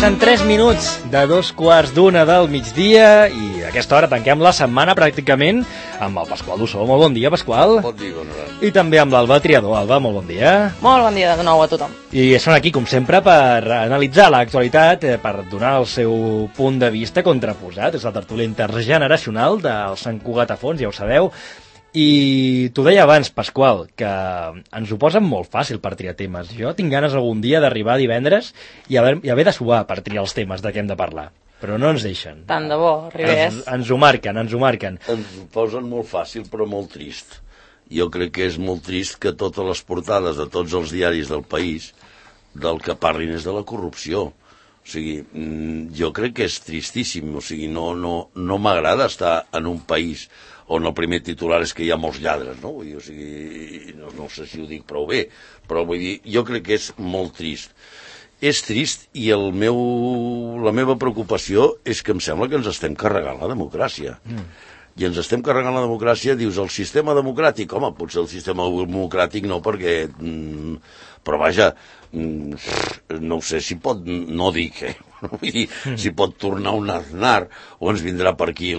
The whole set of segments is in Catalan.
Passen 3 minuts de 2:15 del migdia i a aquesta hora tanquem la setmana pràcticament amb el Pasqual Dussó. Molt bon dia, Pasqual. Bon dia, Conrad. I també amb l'Alba Triador. Alba, molt bon dia. Molt bon dia de nou a tothom. I són aquí, com sempre, per analitzar l'actualitat, per donar el seu punt de vista contraposat. És la tertúlia intergeneracional del Sant Cugat a fons, ja ho sabeu. I t'ho deia abans, Pasqual, que ens ho posen molt fàcil per triar temes. Jo tinc ganes algun dia d'arribar divendres i haver de suar per triar els temes de què hem de parlar. Però no ens deixen. Tant de bo, arribés. Ens ho marquen, ens ho marquen. Ens ho posen molt fàcil, però molt trist. Jo crec que és molt trist que totes les portades de tots els diaris del país del que parlin és de la corrupció. O sigui, jo crec que és tristíssim. O sigui, no m'agrada estar en un país on el primer titular és que hi ha molts lladres, no? Vull dir, o sigui, no sé si ho dic prou bé, però vull dir, jo crec que és molt trist. És trist i la meva preocupació és que em sembla que ens estem carregant la democràcia. I ens estem carregant la democràcia, dius, el sistema democràtic, home, potser el sistema democràtic no, perquè... però vaja, no sé si pot, no dic, vull dir, si pot tornar un Aznar o ens vindrà per aquí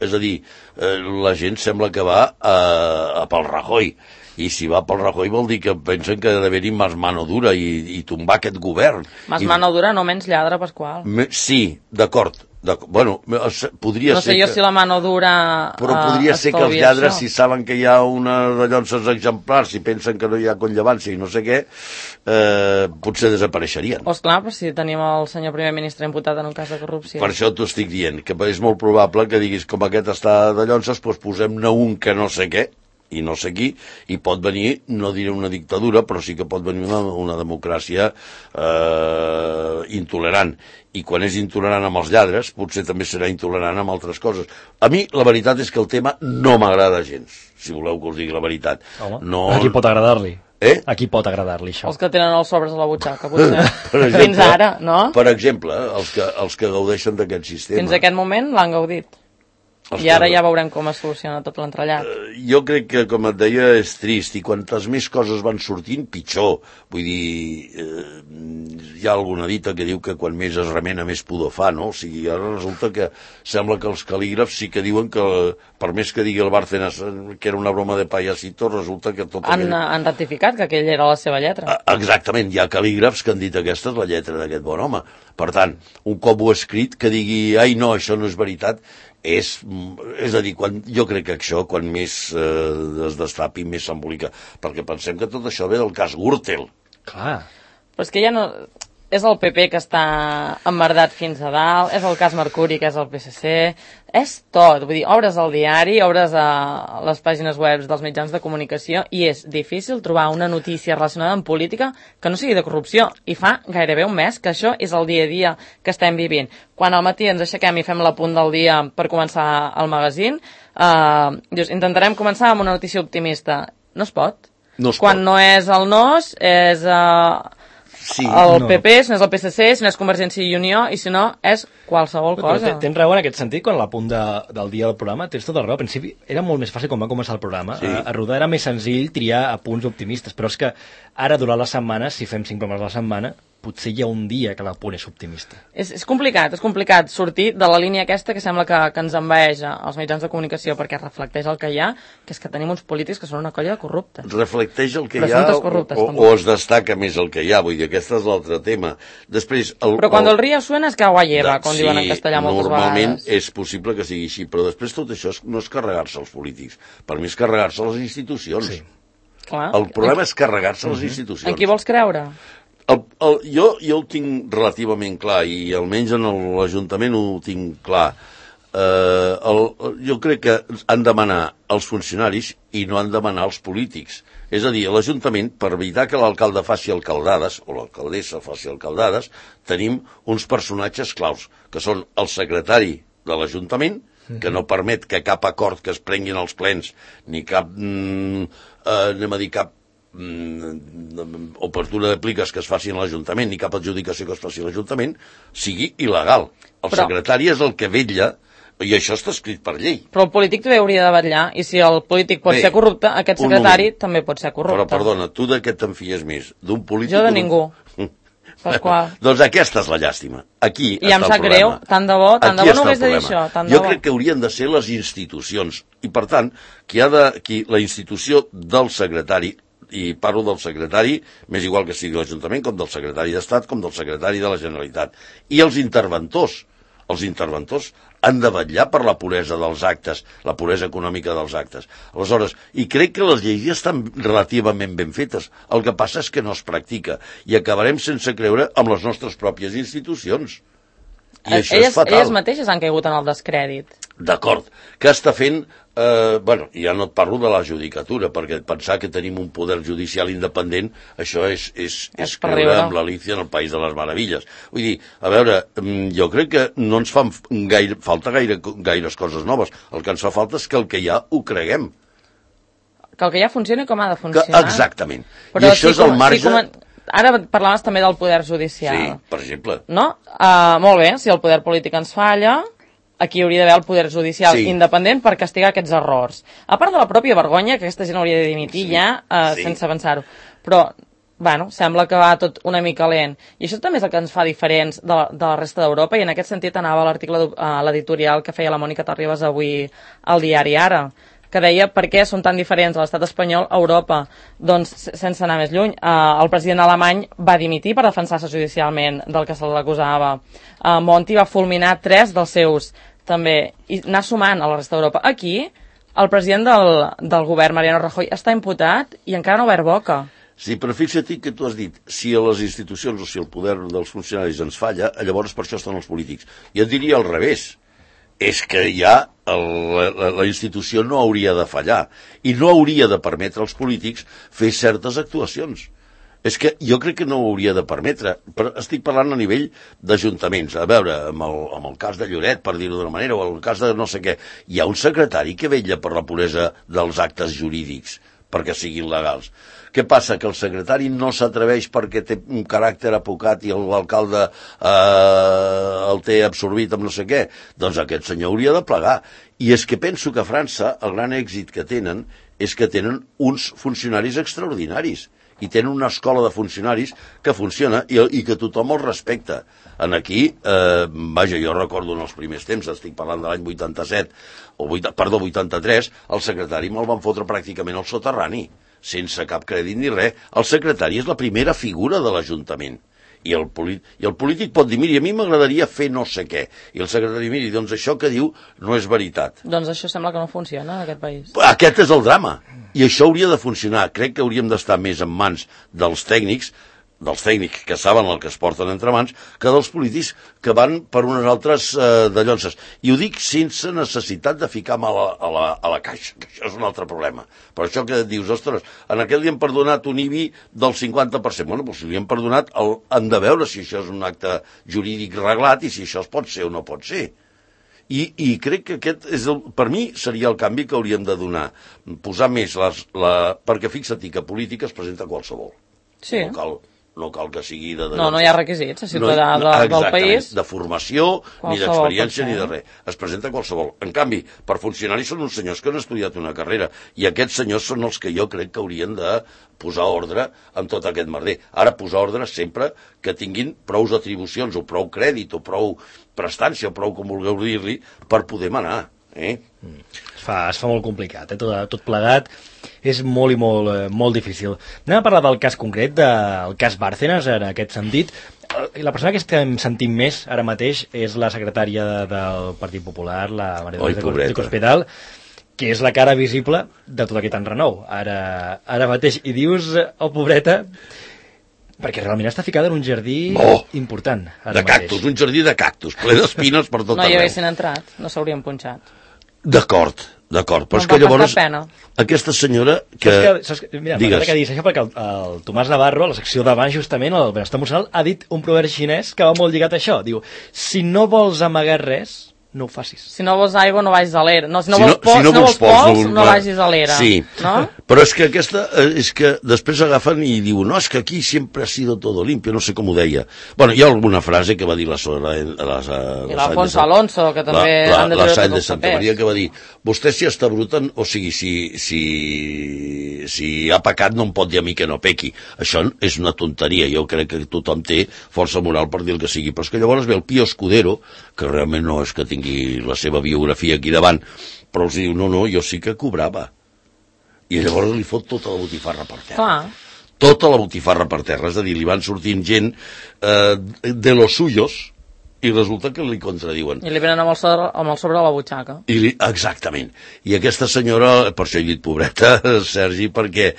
és a dir, la gent sembla que va pel Rajoy, i si va pel Rajoy vol dir que pensen que ha d'haver-hi más mano dura i tombar aquest govern. Más mano dura, no menys lladre, Pasqual. Sí, d'acord. Bueno, podria ser... No sé jo si la mano dura... Però podria ser que els lladres, si saben que hi ha una de llonses exemplars, si pensen que no hi ha conllevància i no sé què, potser desapareixerien. Esclar, però si tenim el senyor primer ministre imputat en un cas de corrupció. Per això t'ho estic dient, que és molt probable que diguis, com aquest està de llonses, doncs posem-ne un que no sé què, i no sé qui, i pot venir, no diré una dictadura, però sí que pot venir una democràcia intolerant. I quan és intolerant amb els lladres, potser també serà intolerant amb altres coses. A mi, la veritat és que el tema no m'agrada gens, si voleu que us digui la veritat. Home, no... a qui pot agradar-li? A qui pot agradar-li això? Els que tenen els sobres a la butxaca, potser. Fins ara, no? Per exemple, els que gaudeixen d'aquest sistema. Fins a aquest moment l'han gaudit. I ara ja veurem com es soluciona tot l'entrellat. Jo crec que, com et deia, és trist, i quantes més coses van sortint, pitjor. Vull dir, hi ha alguna dita que diu que quan més es remena, més pudor fa, no? O sigui, ara resulta que sembla que els cal·lígrafs sí que diuen que, per més que digui el Bárcenas que era una broma de payasito, resulta que tot Han ratificat que aquella era la seva lletra. Exactament, hi ha cal·lígrafs que han dit aquesta és la lletra d'aquest bon home. Per tant, un cop ho ha escrit, que digui, ai no, això no és veritat, és a dir, jo crec que això, quan més es destapi, més s'embolica. Perquè pensem que tot això ve del cas Gürtel. Clar. Però és que ja no... És el PP que està emmerdat fins a dalt, és el cas Mercuri que és el PSC, és tot. Vull dir, obres al diari, obres a les pàgines web dels mitjans de comunicació i és difícil trobar una notícia relacionada amb política que no sigui de corrupció. I fa gairebé un mes que això és el dia a dia que estem vivint. Quan al matí ens aixequem i fem l'apunt del dia per començar el magazín, dius, intentarem començar amb una notícia optimista. No es pot. Quan no és el NOS, és... Sí, el PP, si no és el PSC, si no és Convergència i Unió, i si no és qualsevol cosa. Tens raó en aquest sentit, quan l'apunt del dia del programa, tens tota la raó. Al principi era molt més fàcil quan va començar el programa. Sí. A rodar era més senzill triar apunts optimistes, però és que ara, durant la setmana, si fem 5 programes a la setmana, potser hi ha un dia que l'apunt és optimista. És complicat sortir de la línia aquesta que sembla que ens envaeix als mitjans de comunicació, perquè reflecteix el que hi ha, que és que tenim uns polítics que són una colla de corruptes. Reflecteix el que hi ha o es destaca més el que hi ha, vull dir, aquest és l'altre tema. Després, però quan el río suena es que agua lleva, com diuen en castellà moltes vegades. Normalment és possible que sigui així, però després tot això no és carregar-se els polítics, per mi és carregar-se les institucions. Sí. El problema és carregar-se les institucions. En qui vols creure? Jo ho tinc relativament clar, i almenys en l'Ajuntament ho tinc clar. Jo crec que han de manar els funcionaris i no han de manar els polítics. És a dir, a l'Ajuntament, per evitar que l'alcalde faci alcaldades, o l'alcaldessa faci alcaldades, tenim uns personatges claus, que són el secretari de l'Ajuntament, que no permet que cap acord que es prenguin als plens, ni cap, cap obertura de pliques que es faci a l'Ajuntament ni cap adjudicació que es faci a l'Ajuntament sigui il·legal. El secretari és el que vetlla, i això està escrit per llei. Però el polític també hauria de vetllar, i si el polític pot ser corrupte, aquest secretari també pot ser corrupte. Però perdona, tu de què te'n fies més? D'un polític? Jo de ningú. Doncs aquesta és la llàstima. Aquí I em sap greu, tant de bo no hagués de dir això. Jo crec que haurien de ser les institucions. I, per tant, la institució del secretari, i parlo del secretari, m'és igual que sigui l'Ajuntament, com del secretari d'Estat, com del secretari de la Generalitat. I els interventors han de vetllar per la puresa dels actes, la puresa econòmica dels actes. Aleshores, i crec que les lleis ja estan relativament ben fetes. El que passa és que no es practica i acabarem sense creure amb les nostres pròpies institucions. I això és fatal. Elles mateixes han caigut en el descrèdit. D'acord. Què està fent? Ja no et parlo de la judicatura, perquè pensar que tenim un poder judicial independent, això és creure amb l'Alicia en el País de les Meravilles. Vull dir, a veure, jo crec que no ens fan falta gaires coses noves. El que ens fa falta és que el que hi ha ho creguem. Que el que ja funcioni com ha de funcionar. Exactament. I això és el marge... Ara parlaves també del poder judicial. Sí, per exemple. No? Molt bé, si el poder polític ens falla, aquí hauria d'haver el poder judicial independent per castigar aquests errors. A part de la pròpia vergonya, que aquesta gent hauria de dimitir sense avançar-ho. Però, bueno, sembla que va tot una mica lent. I això també és el que ens fa diferents de la resta d'Europa, i en aquest sentit anava l'article, l'editorial que feia la Mònica Terribas avui al diari Ara, que deia per què són tan diferents a l'estat espanyol a Europa. Doncs, sense anar més lluny, el president alemany va dimitir per defensar-se judicialment del que se l'acusava. Monti va fulminar 3 dels seus, també, i anar sumant a la resta d'Europa. Aquí, el president del govern, Mariano Rajoy, està imputat i encara no ha obert boca. Sí, però fixa't que tu has dit, si a les institucions o si el poder dels funcionaris ens falla, llavors per això estan els polítics. Jo diria al revés. És que ja la institució no hauria de fallar i no hauria de permetre als polítics fer certes actuacions. És que jo crec que no ho hauria de permetre, però estic parlant a nivell d'ajuntaments. A veure, amb el cas de Lloret, per dir-ho d'una manera, o el cas de no sé què, hi ha un secretari que vetlla per la puresa dels actes jurídics perquè siguin legals. Què passa? Que el secretari no s'atreveix perquè té un caràcter apocat i l'alcalde el té absorbit amb no sé què? Doncs aquest senyor hauria de plegar. I és que penso que a França el gran èxit que tenen és que tenen uns funcionaris extraordinaris i tenen una escola de funcionaris que funciona i que tothom els respecta. Aquí, jo recordo en els primers temps, estic parlant de l'any 83, el secretari me'l van fotre pràcticament al soterrani, sense cap crèdit ni res. El secretari és la primera figura de l'Ajuntament. I el polític pot dir, miri, a mi m'agradaria fer no sé què. I el secretari, miri, doncs això que diu no és veritat. Doncs això sembla que no funciona en aquest país. Aquest és el drama. I això hauria de funcionar. Crec que hauríem d'estar més en mans dels tècnics que saben el que es porten entre mans, que dels polítics que van per unes altres de llonces. I ho dic sense necessitat de ficar mà a la caixa, que això és un altre problema. Per això que dius, ostres, en aquest li han perdonat un IBI del 50%. Bueno, doncs si li han perdonat, han de veure si això és un acte jurídic reglat i si això es pot ser o no pot ser. I crec que aquest per mi seria el canvi que hauríem de donar. Posar més perquè fixa't que política es presenta qualsevol. Sí. No cal que sigui de... No hi ha requisits, a ciutadà del país. De formació, ni d'experiència, ni de res. Es presenta qualsevol. En canvi, per funcionaris són uns senyors que han estudiat una carrera, i aquests senyors són els que jo crec que haurien de posar ordre en tot aquest merder. Ara, posar ordre sempre que tinguin prou atribucions, o prou crèdit, o prou prestància, o prou com vulgueu dir-li, per poder manar. Es fa molt complicat, tot plegat és molt i molt difícil. Anem a parlar del cas concret, del cas Bárcenas, en aquest sentit. La persona que estem sentint més ara mateix és la secretària del Partit Popular, la María de Cospedal, que és la cara visible de tot aquest enrenou ara mateix. I dius, pobreta, perquè realment està ficada en un jardí important. De cactus, un jardí de cactus, ple d'espines per tot arreu. No hi haguessin entrat, no s'haurien punxat. D'acord, però és que llavors aquesta senyora que... Mira, m'agrada que diguis això perquè el Tomàs Navarro, a la secció d'abans justament, el benestar emocional, ha dit un proverb xinès que va molt lligat a això. Diu, si no vols amagar res, no ho facis. Si no vols aigua, no vagis a l'era. Si no vols pols, no vagis a l'era. Sí, no? Però és que és que després agafen i diuen, no, és que aquí sempre ha sido todo limpio, no sé com ho deia. Bueno, hi ha alguna frase que va dir la l'Alfonso Alonso, que també han de treure tots els Santa Maria, que va dir, vostès si estabruten, o sigui, si si ha pecat no em pot dir a mi que no pequi. Això és una tonteria, jo crec que tothom té força moral per dir el que sigui, però és que llavors ve el Pío Escudero, que realment no és que tingui la seva biografia aquí davant, però els diu, no, jo sí que cobrava. I llavors li fot tota la botifarra per terra. Clar. Tota la botifarra per terra, és a dir, li van sortint gent de los suyos i resulta que li contradiuen. I li venen amb el sobre a la butxaca. Exactament. I aquesta senyora, per això he dit pobreta, Sergi, perquè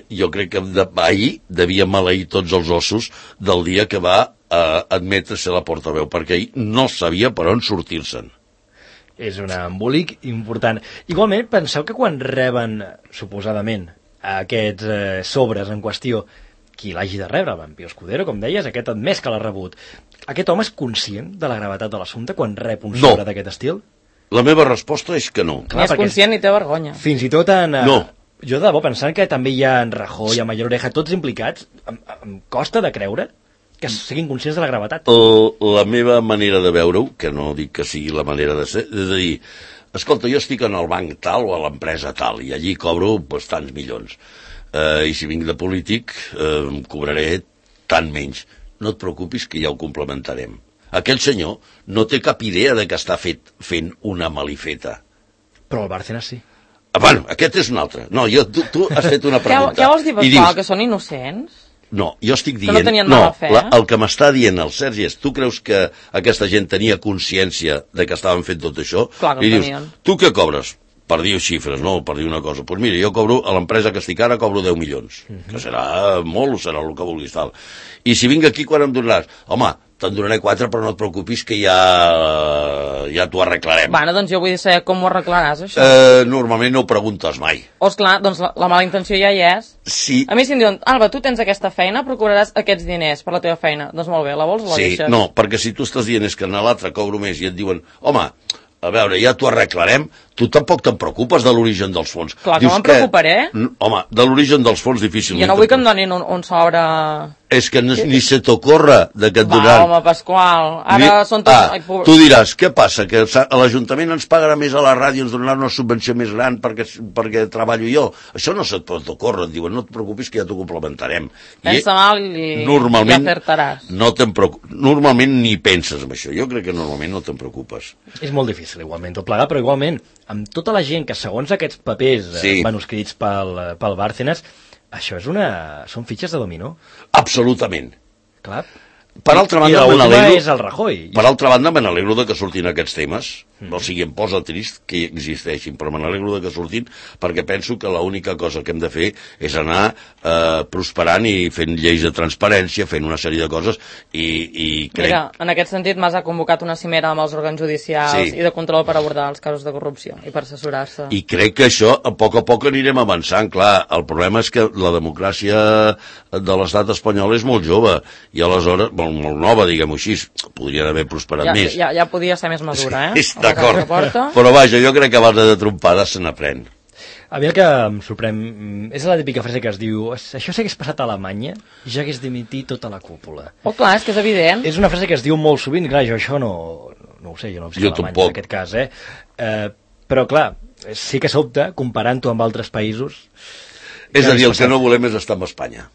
jo crec que ahir devia maleir tots els ossos del dia que va admetre ser la portaveu, perquè ahir no sabia per on sortir-se'n. És un embolic important. Igualment, penseu que quan reben, suposadament, aquests sobres en qüestió, qui l'hagi de rebre, en Pío Escudero, com deies, aquest admès que l'ha rebut, aquest home és conscient de la gravetat de l'assumpte quan rep un sobre d'aquest estil? La meva resposta és que no. Ni és conscient ni té vergonya. Fins i tot en... No. Jo de debò, pensant que també hi ha en Rajoy, en Mayor Oreja, tots implicats, em costa de creure que siguin conscients de la gravetat. La meva manera de veure-ho, que no dic que sigui la manera de ser, és a dir, escolta, jo estic en el banc tal o a l'empresa tal i allí cobro tants milions. I si vinc de polític cobraré tant menys. No et preocupis que ja ho complementarem. Aquell senyor no té cap idea de que està fent una malifeta. Però el Bárcenas sí. Bueno, aquest és un altre. No, tu has fet una pregunta. Què vols dir per això? Que són innocents? No, jo estic dient... Que no tenien mala fe? El que m'està dient el Sergi és, tu creus que aquesta gent tenia consciència de que estaven fent tot això? Clar que i dius, tenien. Tu què cobres? Per dir xifres, no? Per dir una cosa. Doncs mira, jo cobro, a l'empresa que estic ara, cobro 10 milions. Que serà molt o serà el que vulguis tal. I si vinc aquí, quan em donaràs? Home, te'n donaré 4, però no et preocupis que ja t'ho arreglarem. Bueno, doncs jo vull saber com ho arreglaràs, això. Normalment no ho preguntes mai. Esclar, doncs la mala intenció ja hi és. Sí. A mi si em diuen, Alba, tu tens aquesta feina, procuraràs aquests diners per la teva feina. Doncs molt bé, la vols o la deixes? Sí, no, perquè si tu estàs dient és que en l'altre cobro més i et diuen, home, a veure, ja t'ho arreglarem, tu tampoc te'n preocupes de l'origen dels fons. Clar que me'n preocuparé. Home, de l'origen dels fons difícilment. Jo no vull que em donin un sobre... És que ni se t'ocorre de que et donaran... Va, home, Pasqual, ara són tots... Tu diràs, què passa? Que l'Ajuntament ens pagarà més a la ràdio, ens donarà una subvenció més gran perquè treballo jo. Això no se't pot ocórrer, et diuen, no et preocupis que ja t'ho complementarem. Pensa mal i acertaràs. Normalment ni penses en això, jo crec que normalment no te'n preocupes. És molt difícil, igualment, tot plegat, però igualment, amb tota la gent que segons aquests papers manuscrits pel Bárcenas, això són fitxes de dominó. Absolutament. Clar. Per altra banda, me n'alegro. És el Rajoy. Per altra banda, me n'alegro de que surtin aquests temes. O sigui, em posa trist que existeixin, però me n'alegro de que surtin perquè penso que l'única cosa que hem de fer és anar prosperant i fent lleis de transparència, fent una sèrie de coses i crec... Mira, en aquest sentit Mas ha convocat una cimera amb els òrgans judicials i de control per abordar els casos de corrupció i per assessorar-se. I crec que això a poc anirem avançant. Clar, el problema és que la democràcia de l'estat espanyol és molt jove i aleshores, molt nova, diguem-ho així, podrien haver prosperat més. Ja podia ser més madura, D'acord, però vaja, jo crec que abans de trompades se n'aprèn. A mi el que em sorprèn és la típica frase que es diu això s'hagués passat a Alemanya i ja hagués dimitit tota la cúpula. Oh, clar, és que és evident. És una frase que es diu molt sovint, clar, jo això no ho sé, jo no visc a Alemanya en aquest cas, però clar, sí que sobta, comparant-ho amb altres països... És a dir, el que no volem és estar amb Espanya.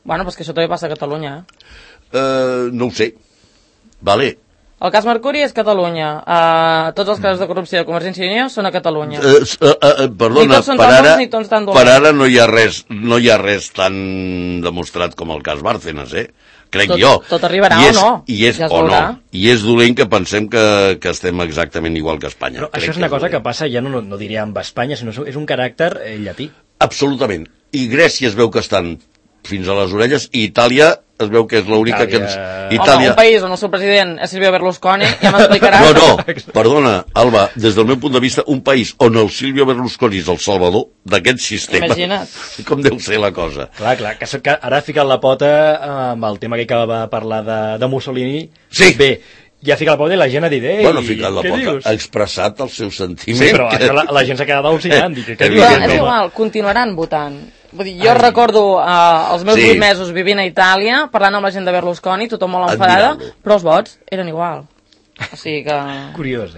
Bueno, però és que això també passa a Catalunya, No ho sé. Vale. El cas Mercuri és Catalunya. Tots els casos de corrupció de Convergència i Unió són a Catalunya. Perdona, per ara no hi ha res tan demostrat com el cas Bárcenas, crec jo. Tot arribarà o no? I és dolent que pensem que estem exactament igual que Espanya. Però això és una cosa que passa, ja no diria amb Espanya, sinó és un caràcter llatí. Absolutament. I Grècia es veu que estan fins a les orelles, i Itàlia es veu que és l'única que ens... Home, un país on el seu president és Silvio Berlusconi, ja m'explicaràs. No, perdona, Alba, des del meu punt de vista, un país on el Silvio Berlusconi és el salvador d'aquest sistema. Imagina't. Com deu ser la cosa. Clar, que ara ha ficat la pota amb el tema que va parlar de Mussolini. Sí. Bé, ja ha ficat la pota i la gent ha dit, bueno, ha ficat la pota, ha expressat el seu sentiment. Sí, però la gent s'ha quedat al·lucinant. Però és igual, continuaran votant. Vull dir, jo recordo els meus 8 mesos vivint a Itàlia, parlant amb la gent de Berlusconi, tothom molt enfadada, però els vots eren igual. O sigui que... Curiós,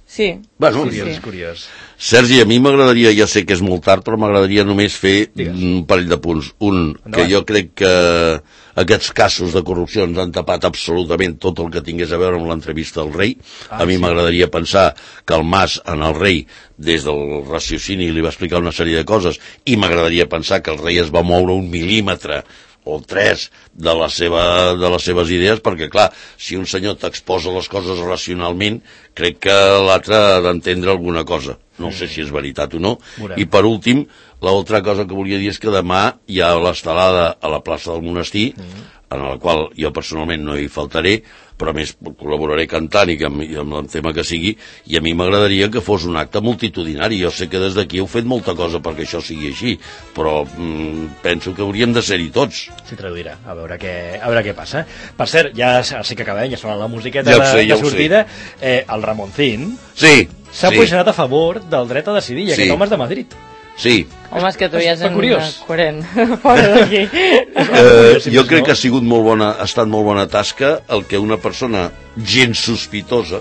Sí. Bueno, Curiós, curiós. Sergi, a mi m'agradaria, ja sé que és molt tard, però m'agradaria només fer un parell de punts. Un, que jo crec que aquests casos de corrupció ens han tapat absolutament tot el que tingués a veure amb l'entrevista del rei. A mi m'agradaria pensar que el Mas en el rei, des del raciocini, li va explicar una sèrie de coses, i m'agradaria pensar que el rei es va moure un mil·límetre o 3 de les seves idees, perquè, clar, si un senyor t'exposa les coses racionalment, crec que l'altre ha d'entendre alguna cosa. No sé si és veritat o no. I, per últim, l'altra cosa que volia dir és que demà hi ha l'estelada a la plaça del Monestir, en la qual jo personalment no hi faltaré, però a més col·laboraré cantant i amb el tema que sigui, i a mi m'agradaria que fos un acte multitudinari. Jo sé que des d'aquí heu fet molta cosa perquè això sigui així, però penso que hauríem de ser-hi tots. S'hi traduirà, a veure què passa. Per cert, ja sé que acabem, ja sona la musiqueta de sortida. El Ramoncín s'ha posicionat a favor del dret a decidir, i aquest home és de Madrid. Sí. Home, és que tu ja és coherent. Fora d'aquí. Jo crec que ha estat molt bona tasca el que una persona gens sospitosa,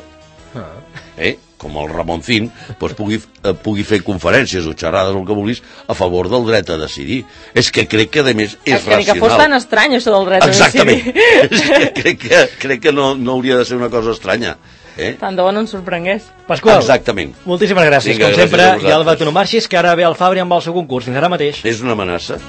com el Ramoncín, pugui fer conferències o xerrades o el que vulguis a favor del dret a decidir. És que crec que, a més, és racional. És que fos tan estrany, això del dret a decidir. Exactament. Crec que no hauria de ser una cosa estranya. Tant de bo no ens sorprengués. Pasqual, exactament. Moltíssimes gràcies, com sempre, i Alba, tu no marxis, que ara ve el Fabri amb el seu concurs. Fins ara mateix. És una amenaça.